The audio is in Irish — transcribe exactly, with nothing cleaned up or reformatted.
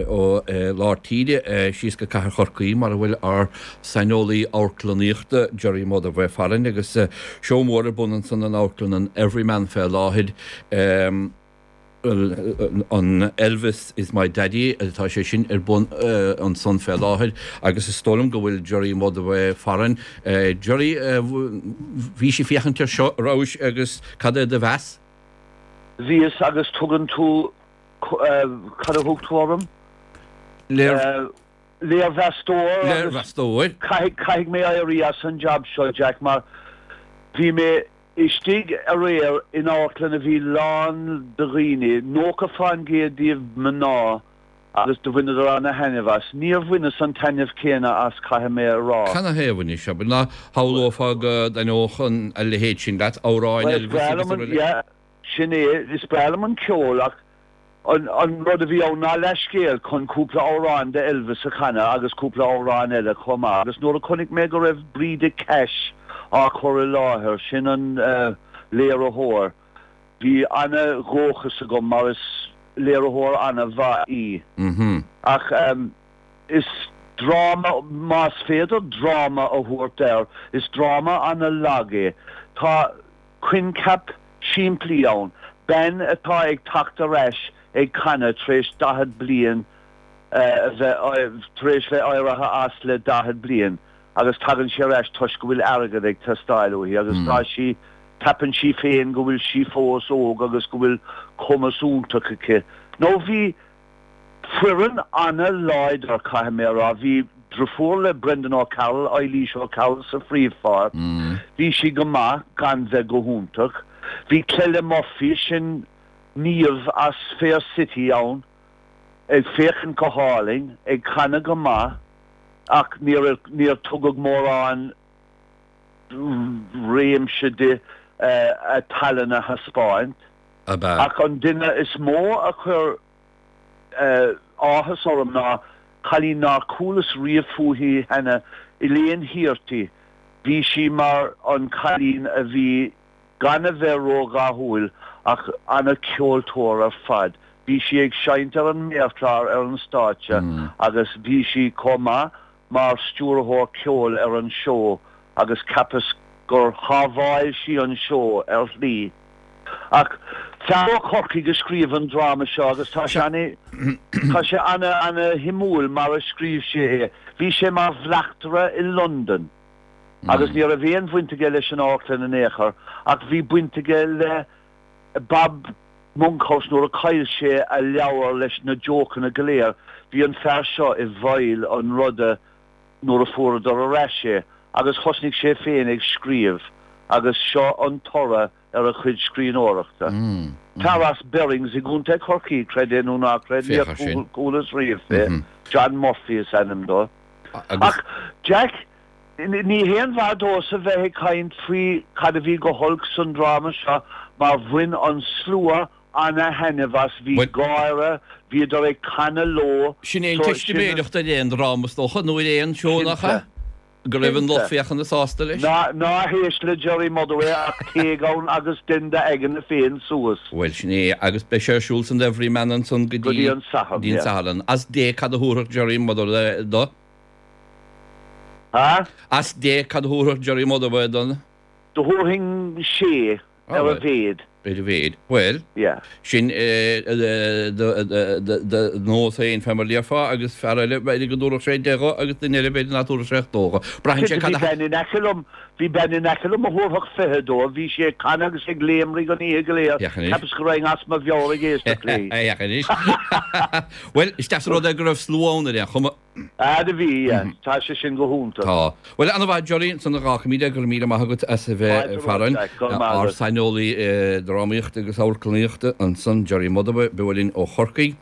ó lár tíre síos go Cathair Chorcaí mar a bhfuil ár saineolaí amharclannaíochta Gerry Motherway farainn agus seó mór ar bun ansan in amharclann an Everyman fé láthair. An Elvis is my Daddy atá sé sin ar bun ansan fé láthair agus is dóigh liom go bhfuil Gerry Motherway farainn. Gerry, bhís ag féachaint air seo, rabhais agus cad é do mheas? Bhíos agus tugann tú, cad a thug tú orm? Léirmheastóir agus Léirmheastóir. caithfidh mé éirí as an jab seo, Jack, mar bhí mé istigh aréir in amharclann a bhí lán de dhaoine, nócha fán gcéad díobh mná agus do bhaineadar ana-thaitneamh as. Níor bhaineas an taitneamh céanna as, caithfidh mé a rá. Canathaobh anois, abair, ná shamhlófá go dtaitneodh a leithéid sin leat, amhráin Bhuel, is Elvis breá agus liom an, araile? yeah, sin é, is breá liom an ceol ach an, an rud a bhí ann ná leithscéal chun cúpla amhrán de Elvis a chanadh agus cúpla amhrán eile chomh maith agus nuair a chonaic mé go raibh Breda Cash á chur i láthair, sin an eh, léiritheoir, bhí ana-dhóchas agam mar is léiritheoir ana-mhaith í. Mhm. Ach um, is dráma, más féidir dráma a thabhairt air, is dráma ana-lag é. Tá coincheap simplí ann, bean atá ag teacht ar ais ag canadh tar éis daichead bliain a bheith tar éis bheith éirithe as le daichead bliain agus tagann sí ar ais toisc go bhfuil airgead ag teastáil uaithi agus tá sí ceapann sí féin go bhfuil sí fós óg agus go bhfuil cumas iontach aici. Nó bhí foireann ana-láidir caithfidh mé a rá, bhí deirfiúr le Brendan O'Carroll, Eilís O'Carroll sa phríomhpháirt, bhí sí go maith gan bheith go hiontach. Bhí Clella Murphy sin Niamh as Fair City ann ag féachaint go hálainn, ag canadh go maith ach níor níor tugadh mórán réimse di a tallann a thaispeáint. Ab ea? Ach an duine is mó a chuir áthas orm ná cailín nár chualas riamh fúithi cheana, Elaine Hearty. Bhí sí mar an cailín a bhí gan a bheith ródhathúil ach ana-cheoltóir ar fad. Bhí sí ag seinnt ar an méarchlár ar an stáitse agus bhí sí chomh maith mar stiúrthóir ceoil ar an seó agus cheapas gur shábháil sí an seó ar shlí. Ach fear ó Chorcaigh a scríobh an dráma seo agus tá sé ana tá sé ana ana-shuimiúil mar a scríobh sé é. Bhí sé mar bhleachtaire i Londain agus ní raibh aon bhaint aige leis an amharclann in aon chor ach bhí baint aige le Bob Monkhouse nuair a chaill sé a leabhar leis na jócanna go léir. Bhí an fear seo i bhfeighil an ruda nuair a fuaireadar ar ais é agus thosnaigh sé féin ag scríobh agus seo an toradh ar a chuid scríbhneoireachta. Fear as Berrings i gContae Chorcaí, creid é nó ná creid, níor Féach air sin. chualas riamh fé. John Murphy is ainm dó. Agus Ach Jack, ní haon mhaith domhsa bheith ag caint faoi cad a bhí go holc san dráma seo mar bhain an slua ana-thaitneamh as, bhí Bhuel, gáire, bhíodar ag canadh leo, sin é an so sin teistiméireacht ar aon dráma is dócha nó ar aon seó nach cinnte, ea? Go raibh an lucht cinnte. féachana sásta leis? Ná ná héist le Gerry Motherway ach téigh ann agus dein d'aigne féin suas Bhuel, sin é agus beidh sé ar siúl san Everyman ansan go go dtí dtí an Satharn, dtí an yeah. Satharn. As deich cad a thabharfadh Gerry Motherway dó? Ha? As deich cad a thabharfadh Gerry Motherway don? Do thabharfainn sé Ah, ar a bhuel, mhéad, ar a mhéad. Bhuel, yeah. sin do nós féin fé mar a déarfá agus fear eile b'fhéidir go dtabharfadh sé deich dho agus duine eile b'fhéidir nach dtabharfadh sé ach dó dho. Braitheann sé Cinnte cad bhí a bean in aice liom, bhí bean in aice liom a thabharfadh fiche dó, bhí sí ag canadh agus ag léimrigh an oíche go léir, Féach anois. cheapas go raibh as mo mheabhair ag éisteacht léi. Féach anois. Bhuel, is deas an rud é go raibh slua ann ar aon chuma. Ah, do bhí, yeah. Tá sé sin go hiontach. Tá. Bhuel, ana-mhaith Gerry, ansan a dh'fhágfaimid é, go raibh míle maith agat as a bheith Fáilte romhat, farainn. Jack, go raibh maith Ár agat. saineolaí drámaíochta agus amharclannaíochta ansan, Gerry Motherway, beo linn ó Chorcaigh.